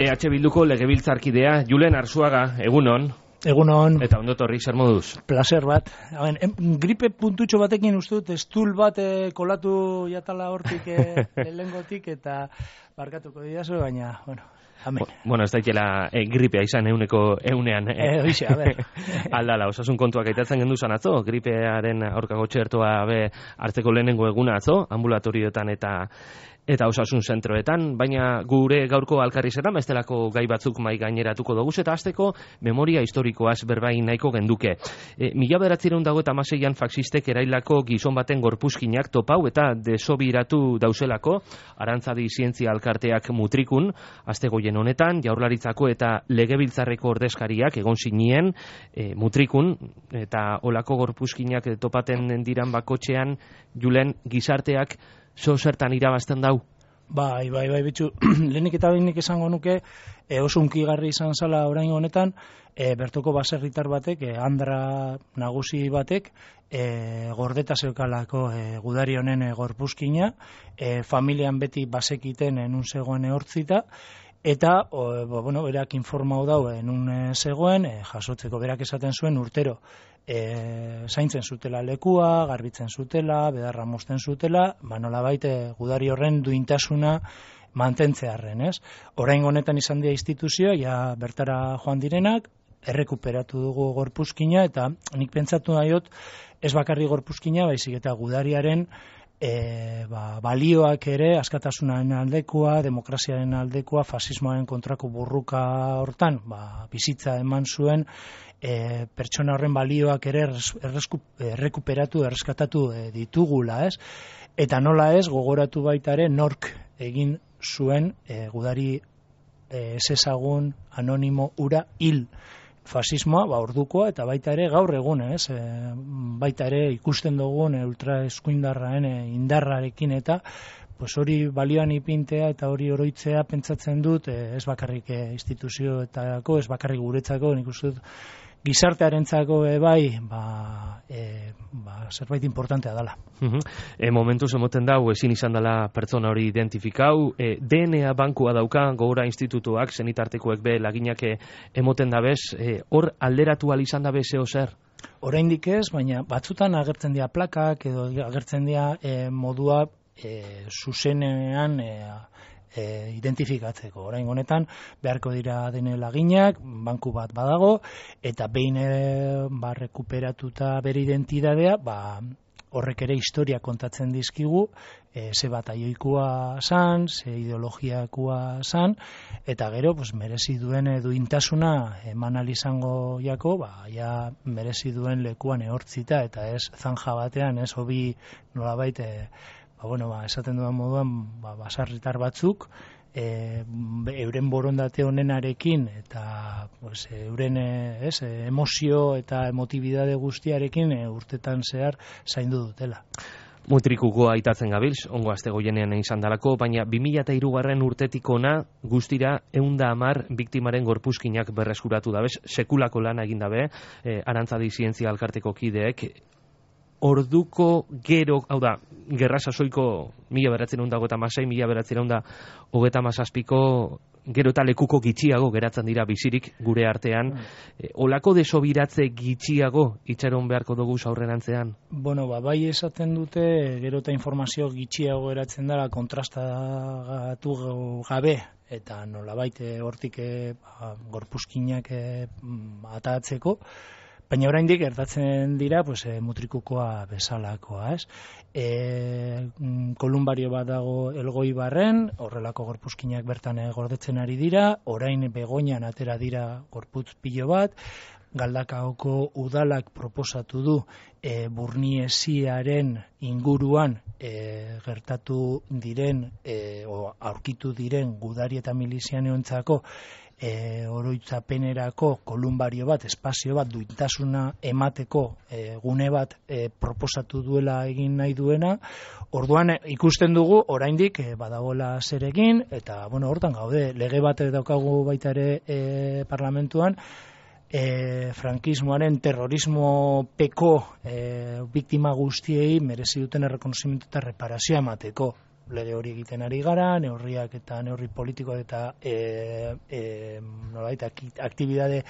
EH Bilduko legebiltzarkidea Julen Arzuaga, egunon. Egunon. Eta ondo torri, zer moduz? Placer bat. Gripe puntutxo batekin uste dut, estul bat kolatu jatala hortik lehengotik eta barkatuko didazu, baina, bueno, amen. Bueno, ez daitela gripea izan eunean. Oixe, a ber. Aldala, osasun kontuak aitatzen genduzan atzo, gripearen aurkako txertoa hartzeko lehenengo eguna atzo, ambulatorioetan eta osasun zentroetan, baina gure gaurko alkarrizetan bestelako gai batzuk mai gaineratuko dugu, eta hasteko memoria historikoaz berbain nahiko genduke. 1926an faxistek erailako gizon baten gorpuzkinak topau eta desobiratu dauzelako, Arantzadi Zientzia Alkarteak mutrikun, astegoien honetan, Jaurlaritzako eta Legebiltzarreko ordezkariak egon zinien mutrikun, eta olako gorpuzkinak topaten diran bakotxean, Julen, gizarteak zertan irabazten dau? Bai, bitxu. Lehenik eta behinik esango nuke, oso unkigarri izan zala orain honetan, bertoko baserritar batek, Andra nagusi batek, gordeta zeukalako gudari honen gorpuzkina, familian beti basekiten enun zegoen ehortzita, eta, berak informau dau enun zegoen, jasotzeko berak esaten zuen urtero, zaintzen zutela lekua, garbitzen zutela, bedarra mozten zutela, nolabait gudari horren duintasuna mantentzearren, ez? Orain honetan izan dira instituzioa, ja bertara joan direnak, errekuperatu dugu gorpuzkina, eta nik pentsatu nahiot, ez bakarri gorpuzkina, baizik eta gudariaren balioak ere, askatasunaren aldekoa, demokraziaren aldekoa, fasismoaren kontrako burruka hortan, bizitza eman zuen, pertsona horren balioak ere errekuperatu, erreskatatu ditugula, ez? Eta nola ez, gogoratu baita ere, nork egin zuen gudari ezezagun anonimo ura hil fasismoa, ordukoa, eta baita ere gaur egun, ez? Baita ere ikusten dugun ultraeskuindarraen indarrarekin eta hori balioan ipintea eta hori oroitzea pentsatzen dut, ez bakarrik instituzioetako, ez bakarrik guretzako, nik uste dut gizartearentzako bai, zerbait importantea dela. Momentuz emoten dau, ezin izan dela pertsona hori identifikau, DNA bankua dauka, Gogora Institutuak, zenitartekoek be laginak emoten dabez, hor alderatu izan dabe zeo zer? Oraindik ez, baina batzutan agertzen dira plakak, edo agertzen dira modua zuzenean identifikatzeko. Orain honetan beharko dira dene laginak, banku bat badago, eta behin rekuperatuta bere identidadea, horrek ere historia kontatzen dizkigu, ze bataioikoa zan, ze ideologiakoa zan, eta gero merezi duen duintasuna eman izango jako, ja merezi duen lekuan ehortzita, eta ez zanja batean, ez hobi nolabait esaten dudan moduan, basarritar batzuk, euren borondate honenarekin eta euren emozio eta emotibidade guztiarekin urtetan zehar zaindu dutela. Mutrikuko aitatzen gabilz, ongo astegoienean izan dalako, baina 2003 urtetik ona guztira 110 biktimaren gorpuzkinak berreskuratu dabez, sekulako lana egin dabe, Arantzadi Zientzia Alkarteko kideek, orduko gero, hau da, gerra sasoiko 1926, 1937ko gero eta lekuko gitxiago geratzen dira bizirik gure artean. Olako desobiratze gitxiago itxaron beharko dugu aurrerantzean? Bai esaten dute gero eta informazio gitxiago geratzen dara kontrastatu gabe, eta nolabait hortik gorpuzkinak atatzeko, baina oraindik gertatzen dira mutrikukoa bezalakoa, ez? Kolumbario bat dago Elgoibarren, horrelako gorpuzkinak bertan gordetzen ari dira, orain Begoñan atera dira gorputz pilo bat, Galdakaoko udalak proposatu du Burniesiaren inguruan gertatu diren aurkitu diren gudari eta milizianeontzako oroitzapenerako kolumbario bat, espazio bat, duintasuna emateko gune bat proposatu duela egin nahi duena. Orduan ikusten dugu oraindik badagoela zer egin, eta hortan gaude, lege bat daukagu baita ere parlamentuan, frankismoaren terrorismo peko biktima guztiei merezi duten errekonozimendu eta reparazioa emateko. lege hori egiten ari gara, neurriak eta neurri politikoak eta nolabait aktibidade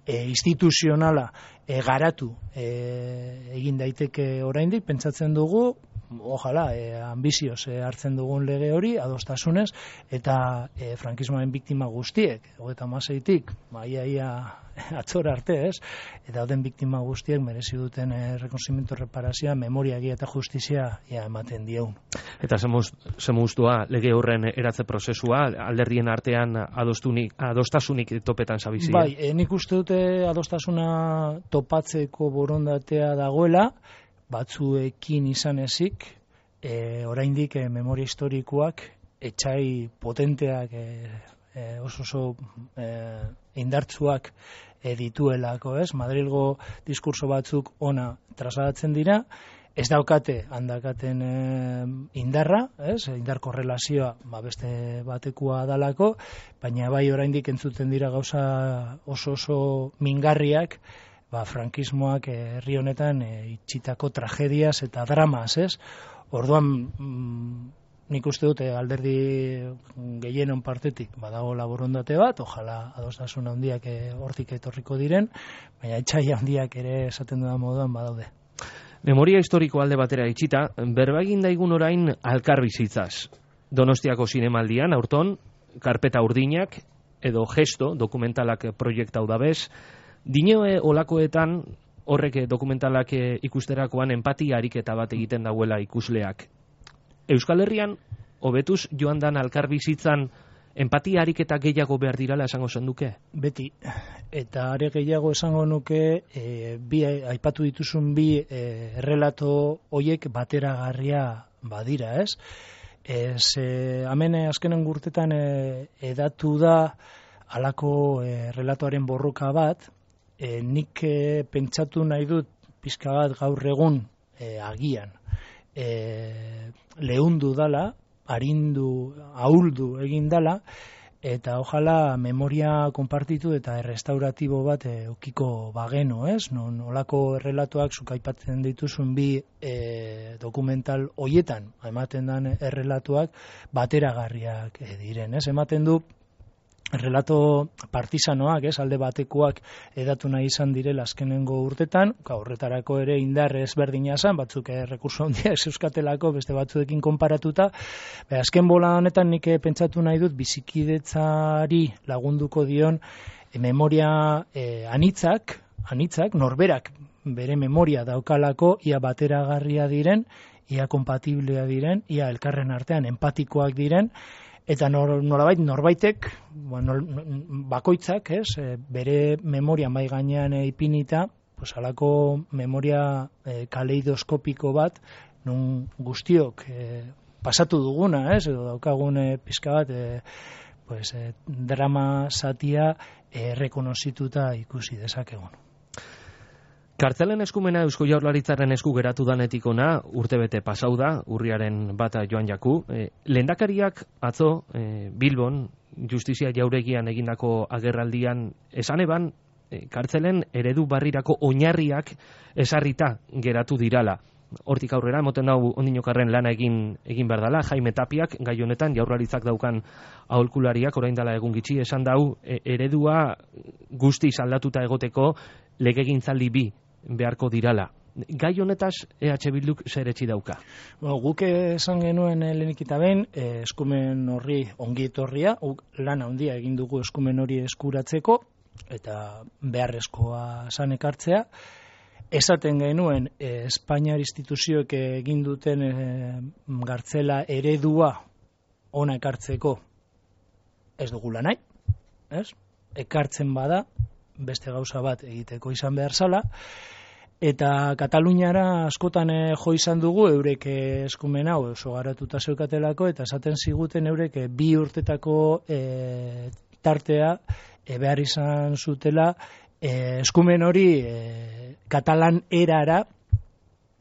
instituzionala garatu egin daiteke oraindik, pentsatzen dugu, ojalá, ambizioz hartzen dugun lege hori, adostasunez, eta frankismoaren biktima guztiek, 36-tik, ia atzora arte, ez? Eta dauden biktima guztiek merezi duten rekonozimiento, reparazioa, memoria, egia eta justizia ematen dieun. Eta zemuztua lege horren eratze prozesua, alderdien artean adostasunik topetan zabizia? Bai, nik uste dute adostasuna topatzeko borondatea dagoela, batzuekin izan ezik, oraindik memoria historikoak etxai potenteak oso indartsuak dituelako, ez? Madrilgo diskurso batzuk ona trasladatzen dira, ez daukate handakaten indarra, ez? Indar korrelazioa beste batekoa dalako, baina bai oraindik entzuten dira gauza oso mingarriak, frankismoak herri honetan itxitako tragediaz eta dramas, ez? Orduan, nik uste dute alderdi gehienon partetik badago laborondate bat, ojala adostasun handiak hortik etorriko diren, baina etxai handiak ere esaten dudan moduan badaude. Memoria historiko alde batera itxita, berba egin daigun orain alkarbizitzaz. Donostiako zinemaldian, aurton, karpeta urdinak, edo gesto, dokumentalak proiektau dabez, Dinoe olakoetan horrek dokumentalak ikusterakoan empatia ariketa bat egiten dauela ikusleak. Euskal Herrian, hobetuz joan dan alkarbizitzan empatia ariketa gehiago behar dirala esango zenduke? Beti, eta are gehiago esango nuke, aipatu dituzun bi errelato hoiek bateragarria badira, ez? Hemen azkenen urtetan edatu da halako relatoaren borroka bat, nik pentsatu nahi dut pizka bat gaur egun agian lehundu dala, arindu, ahuldu egin dala, eta ojala memoria konpartitu eta errestauratibo bat ukiko bageno, ez? Nolako errelatoak zuk aipatzen dituzun bi dokumental hoietan, ematen dan errelatoak bateragarriak diren, ez? Ematen du errelato partisanoak, alde batekoak edatu nahi izan direla azkenengo urtetan, horretarako ere indar ezberdina zan, batzuk rekurso handia euskatelako, beste batzuekin konparatuta, azken bola honetan nik pentsatu nahi dut bizikidetzari lagunduko dion memoria anitzak, norberak bere memoria daukalako, ia bateragarria diren, ia kompatiblea diren, ia elkarren artean empatikoak diren, eta norbaitek, bakoitzak, bere memoria mai gainean ipinita, halako memoria kaleidoskopiko bat, nun guztiok pasatu duguna, edo daukagun pizka bat, drama zatia rekonozituta ikusi dezakegun. Kartzelen eskumena Eusko Jaurlaritzaren esku geratu danetik ona, urtebete pasau da, urriaren bata joan jaku. Lehendakariak atzo Bilbon, Justizia Jauregian egindako agerraldian esan eban, kartzelen eredu barrirako oinarriak esarrita geratu dirala. Hortik aurrera, moten hau ondinokarren lana egin behar dela, Jaime Tapiak, gai honetan Jaurlaritzak daukan aholkulariak, orain dela egun gitxi, esan dau, eredua guztiz aldatuta egoteko legegintzaldi bi beharko dirala. Gai honetaz EH Bilduk zer etxi dauka? Guk esan genuen lehenik eta behin, eskumen horri ongi etorria, lan handia egin dugu eskumen hori eskuratzeko, eta beharrezkoa zan ekartzea. Esaten genuen, Espainiar instituzioek egin duten gartzela eredua ona ekartzeko ez dugula nahi, ez? Ekartzen bada, beste gauza bat egiteko izan behar zala, eta Kataluniara askotan jo izan dugu eurek eskumen hau oso garatuta zeukatelako, eta esaten ziguten eurek 2 urtetako tartea behar izan zutela eskumen hori katalan erara,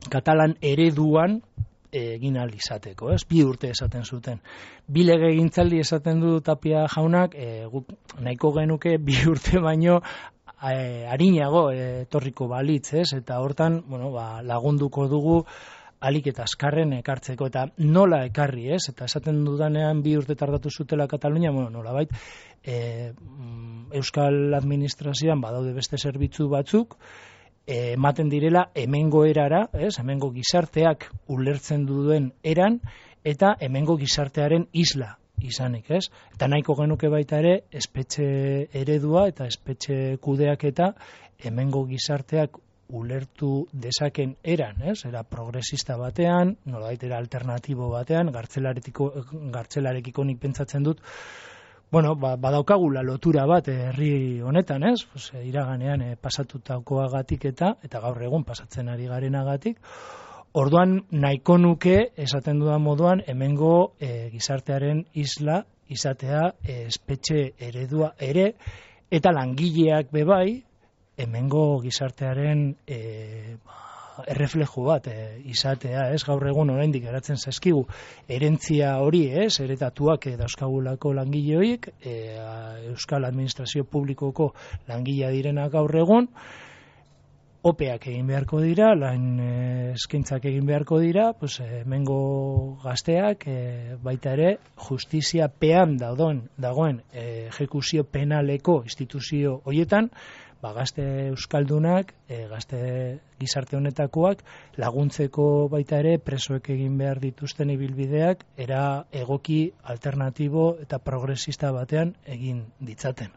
katalan ereduan egin ahal izateko, 2 urte esaten zuten. 2 legegintzaldi esaten du Tapia jaunak, guk nahiko genuke 2 urte baino arinago etorriko balitz, eta hortan, lagunduko dugu alik eta azkarren ekartzeko, eta nola ekarri, ez? Eta esaten dudanean 2 urte tardatu zutela Katalunia, nolabait, Euskal Administrazioan badaude beste zerbitzu batzuk, ematen direla hemengo erara, ez? Hemengo gizarteak ulertzen duen eran, eta hemengo gizartearen isla izanik, ez? Eta nahiko genuke baita ere, espetxe eredua eta espetxe kudeaketa hemengo gizarteak ulertu dezaken eran, ez? Era progresista batean, nolabait era alternatibo batean, gartzelarekiko nik pentsatzen dut, badaukagula lotura bat herri honetan, ez? Iraganean pasatutakoagatik eta gaur egun pasatzen ari garenagatik. Orduan nahiko nuke, esaten dudan moduan, hemengo gizartearen isla izatea espetxe eredua ere, eta langileak bebai, hemengo gizartearen erreflejo bat izatea, ez? Gaur egun oraindik geratzen zaizkigu herentzia hori, ez? Heretatuak dauzkagulako langile horiek, Euskal Administrazio Publikoko langilea direnak gaur egun, opeak egin beharko dira, lan eskaintzak egin beharko dira, hemengo gazteak baita ere justiziapean dagoen ejekuzio penaleko instituzio horietan, gazte euskaldunak, gazte gizarte honetakoak laguntzeko baita ere presoek egin behar dituzten ibilbideak era egoki, alternatibo eta progresista batean egin ditzaten.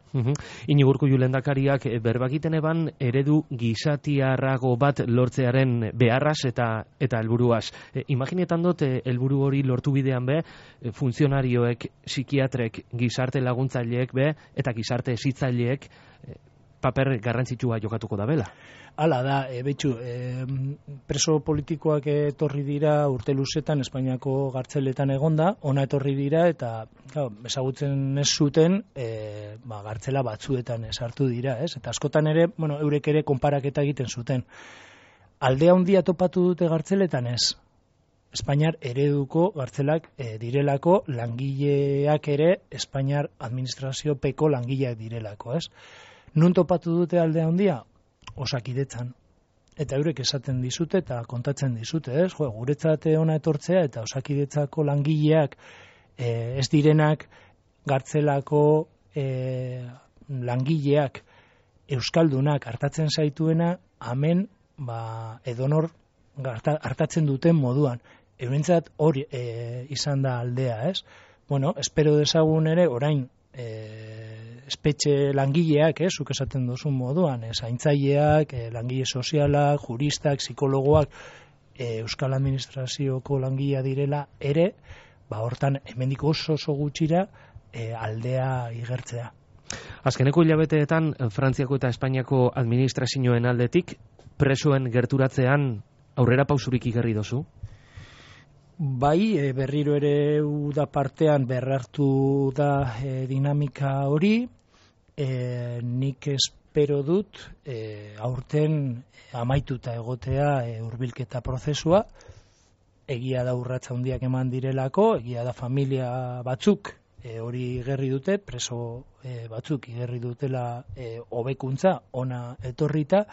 Iñigo Urkullu lehendakariak berbakiten eban eredu gizatiarrago bat lortzearen beharraz eta helburuaz. Imaginetan dut helburu hori lortu bidean funtzionarioek, psikiatrek, gizarte laguntzaileek eta gizarte hezitzaileek paper garrantzitsua jokatuko da bela. Hala da, preso politikoak etorri dira urte luzetan Espainiako gartzeletan egonda, ona etorri dira eta ezagutzen ez zuten gartzela batzuetan sartu dira, ez? Eta askotan ere, eurek ere konparaketa egiten zuten. Aldea handia topatu dute gartzeletan ez. Espainiar ereduko gartzelak direlako, langileak ere Espainiar administraziopeko langileak direlako, ez? Nun topatu dute aldea handia? Osakidetzan. Eta eurek esaten dizute eta kontatzen dizute, ez? Guretzat ona etortzea eta Osakidetzako langileak ez direnak gartzelako langileak euskaldunak hartatzen zaituena, hemen edonor hartatzen duten moduan. Eurentzat hori izan da aldea, ez? Espero dezagun ere orain espetxe langileak, zuk esaten duzun moduan, zaintzaileak, langile sozialak, juristak, psikologoak, Euskal Administrazioko langilea direla ere, hortan hemendik oso gutxira aldea igertzea. Azkeneko hilabeteetan Frantziako eta Espainiako administrazioen aldetik presoen gerturatzean aurrera pausurik igarri dozu? Bai, berriro ere uda partean berrartu da dinamika hori, nik espero dut aurten amaituta egotea hurbilketa prozesua, egia da urratsa handiak eman direlako, egia da familia batzuk hori igerri dute, preso batzuk igerri dutela hobekuntza ona etorrita,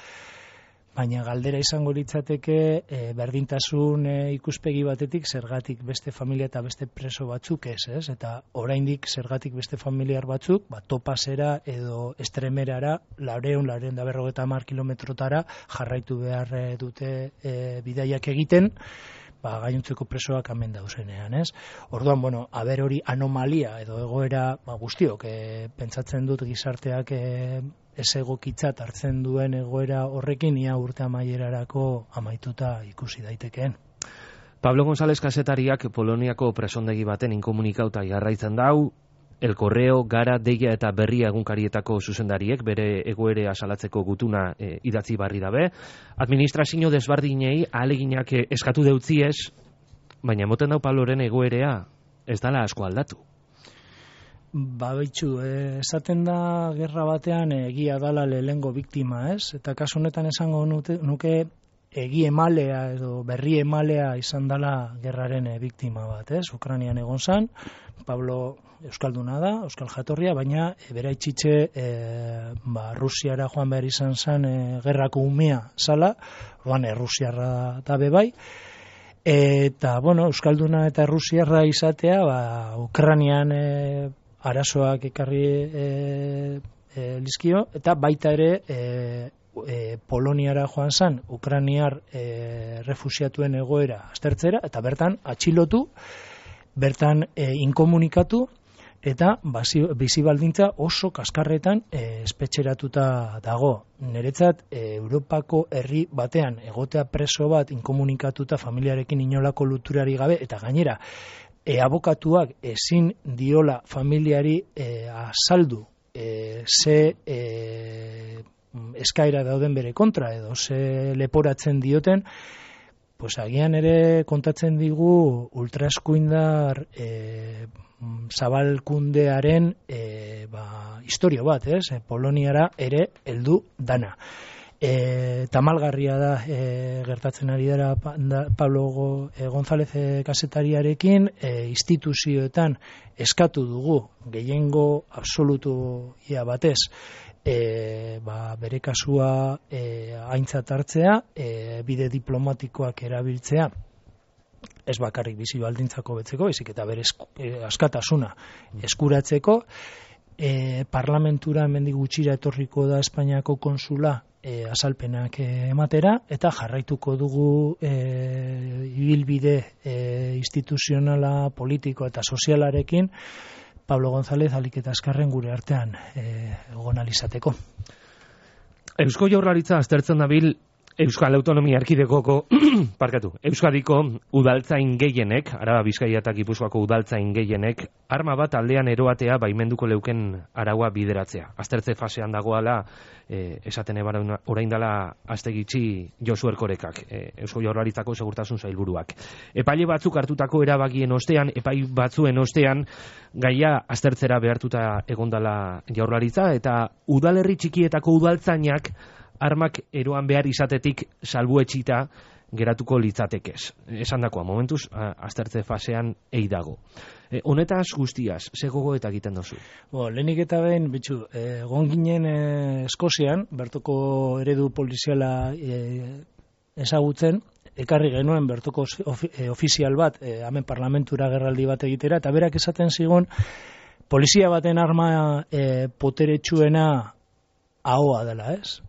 baina galdera izango litzateke berdintasun ikuspegi batetik zergatik beste familia eta beste preso batzuk ez? Eta oraindik zergatik beste familiar batzuk, topasera edo estremerara 450 kilometrotara jarraitu behar dute bidaiak egiten, gainontzeko presoak hemen dauzenean, ez? Orduan, aber hori anomalia edo egoera guztiok, pentsatzen dut gizarteak ez egokitzat hartzen duen egoera horrekin ia urte amaierarako amaituta ikusi daitekeen. Pablo González kazetariak Poloniako presondegi baten inkomunikauta jarraitzen dau, El Correo, Gara, Deia eta Berria egunkarietako zuzendariek bere egoerea salatzeko gutuna idatzi barri dabe. Administrazio desbardinei ahaleginak eskatu deutziez, baina emoten dau Pabloren egoerea ez dala asko aldatu. Baitzu, esaten da gerra batean egia dala lehengo biktima, ez? Eta kasu honetan esango nuke egi emalea edo berri emalea izan dala gerraren biktima bat, ez? Ukrainian egon zan, Pablo euskalduna da, euskal jatorria, baina bera itxitxe Rusiara joan behar izan zan gerrako umea zala, orduan Rusiarra da bebai, Eta, bueno, Euskalduna eta Rusiarra izatea, Ukrainian arazoak ekarri lizkio, eta baita ere Poloniara joan zan, Ukrainiar refusiatuen egoera aztertzera, eta bertan atxilotu, bertan inkomunikatu, eta bizi baldintza oso kaskarretan espetxeratuta dago. Niretzat, Europako herri batean egotea preso bat inkomunikatuta familiarekin inolako luturari gabe, eta gainera, abokatuak ezin diola familiari azaldu ze eskaera dauden bere kontra, edo ze leporatzen dioten, pues agian ere kontatzen digu ultraeskuindar zabalkundearen historio bat, Poloniara ere heldu dana. Tamalgarria da gertatzen ari dara Pablo González kazetariarekin, instituzioetan eskatu dugu gehiengo absolutua batez bere kasua aintzat hartzea, bide diplomatikoak erabiltzea, ez bakarrik bizi baldintzako betzeko, baizik eta bere askatasuna eskuratzeko. Parlamentura hemendik gutxira etorriko da Espainiako konsula azalpenak ematera, eta jarraituko dugu ibilbide instituzionala, politiko eta sozialarekin Pablo González alik eta azkarren gure artean egon alizateko. Eusko Jaurlaritza aztertzen dabil Euskal Autonomia Erkidegoko Euskadiko udaltzain gehienek, Araba, Bizkaia eta Gipuzkoako udaltzain gehienek, arma bat aldean eroatea baimenduko leuken araua bideratzea. Aztertze fasean dagoala, esaten ebara orain dela astegitzi Josu Erkorekak, Eusko Jaurlaritzako segurtasun sailburuak. Epaile batzuk hartutako erabakien ostean, epai batzuen ostean, gaia aztertzera behartuta egondala Jaurlaritza, eta udalerri txikietako udaltzainak armak eroan behar izatetik salbuetxita geratuko litzatekez. Esan dakoa, momentuz, aztertze fasean dago. Honetaz guztiaz, ze gogo eta egiten dozu? Lehenik eta behin, bitxu, egon ginen Eskozian, bertoko eredu poliziala ezagutzen, ekarri genuen bertoko ofizial bat, hemen parlamentura gerraldi bat egitera, eta berak esaten zigun, polizia baten arma poteretsuena ahoa dela, ez?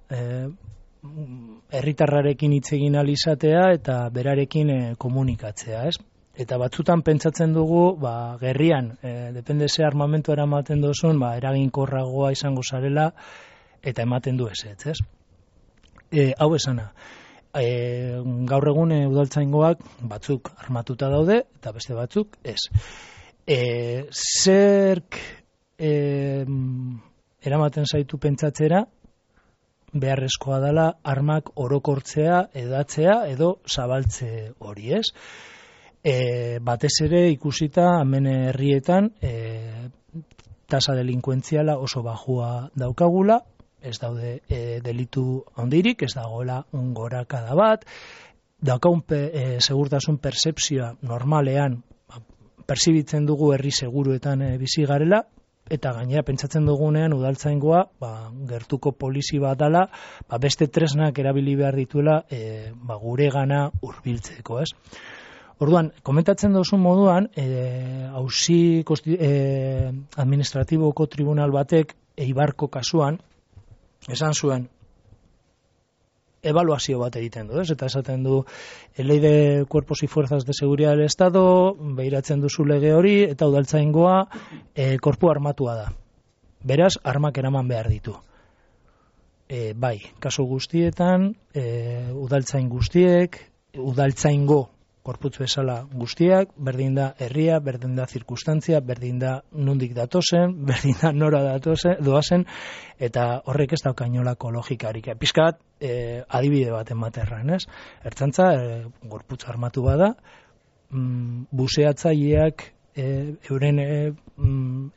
Herritarrarekin hitz egin ahal izatea eta berarekin komunikatzea, ez? Eta batzutan pentsatzen dugu, gerrian, depende ze armamentu eramaten duzun, eraginkorragoa izango zarela, eta ematen du ez, ez? Hau esana, gaur egun udaltzaingoak batzuk armatuta daude, eta beste batzuk ez. Zerk eramaten zaitu pentsatzera, beharrezkoa dela armak orokortzea, edatzea edo zabaltze hori, ez? Batez ere ikusita hemen herrietan tasa delinkuentziala oso bajua daukagula, ez daude delitu handirik, ez dagoela gorakada bat, daukagun segurtasun pertzepzioa normalean perzibitzen dugu herri seguruetan bizi garela, eta gainera pentsatzen dugunean udaltzaingoa gertuko polizi bat dela, beste tresnak erabili behar dituela guregana hurbiltzeko, ez? Orduan, komentatzen duzun moduan, auzi administratiboko tribunal batek Eibarko kasuan esan zuen evaluazio bat egiten du, ez? Eta esaten du Ley de Cuerpos y Fuerzas de Seguridad del Estado, behiratzen duzu lege hori, eta udaltzaingoa korpu armatua da. Beraz, armak eraman behar ditu. Bai, kasu guztietan, udaltzain guztiek, udaltzaingo korputz bezala guztiak, berdin da herria, berdin da zirkustantzia, berdin da nondik datozen, berdin da nora doazen, eta horrek ez daukainolako logikarik. Pizkat, adibide bat ematerran, ez? Ertzantza, gorputz armatu bada, buseatzaileak euren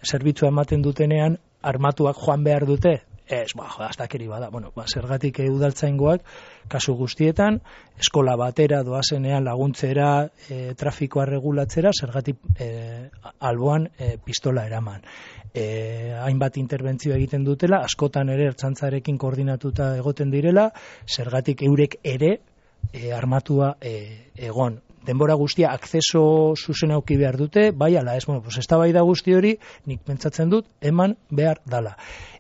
zerbitzua ematen dutenean, armatuak joan behar dute, ez, astakeri bada. Zergatik udaltzaingoak, kasu guztietan, eskola batera doazenean laguntzera, trafikoa regulatzera, zergatik alboan pistola eraman. Hainbat interbentzio egiten dutela, askotan ere ertzantzarekin koordinatuta egoten direla, zergatik eurek ere armatua egon. denbora guztia akzeso zuzen auki behar dute, bai ala ez, bueno, pues eztabaida guzti hori nik pentsatzen dut eman behar dala.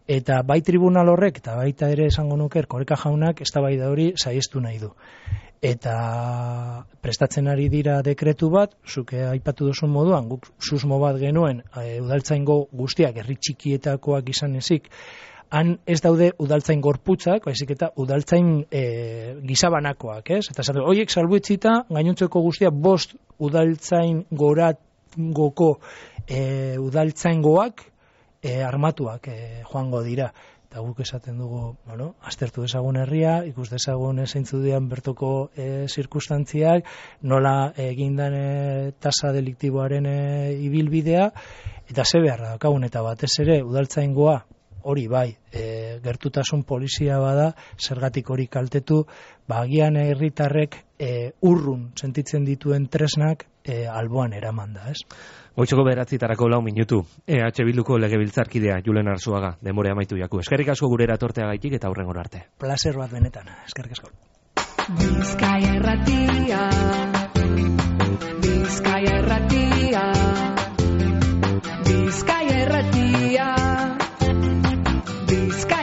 Eta bai tribunal horrek, eta baita ere esango nuke Erkoreka jaunak eztabaida hori saihestu nahi du. Eta prestatzen ari dira dekretu bat, zuke aipatu duzun moduan, guk susmo bat genuen udaltzaingo guztiak, herri txikietakoak izan ezik, han ez daude udaltzain gorputzak, baizik eta udaltzain gizabanakoak, ez? Eta esaten, horiek salbuetzita, gainontzeko guztia 5 udaltzain gorangoko udaltzaingoak armatuak joango dira. Eta guk esaten dugu, bueno, aztertu dezagun herria, ikus dezagun zeintzu dian bertoko zirkustantziak, nola egindan tasa deliktiboaren ibilbidea, eta ze beharra daukagun, eta batez ere udaltzaingoa, hori bai, gertutasun polizia bada, zergatik hori kaltetu, agian herritarrek urrun sentitzen dituen tresnak alboan eraman da, ez? Goitzeko 9:00 minutu. EH Bilduko legebiltzarkidea Julen Arzuaga, denbora amaitu jaku. Eskerrik asko gurera torteagaitik eta hurrengora arte. Placer bat benetan. Eskerrik asko. Bizkaia Irratia. Bizkaia Irratia. Bizkaia Irratia. Bizkaia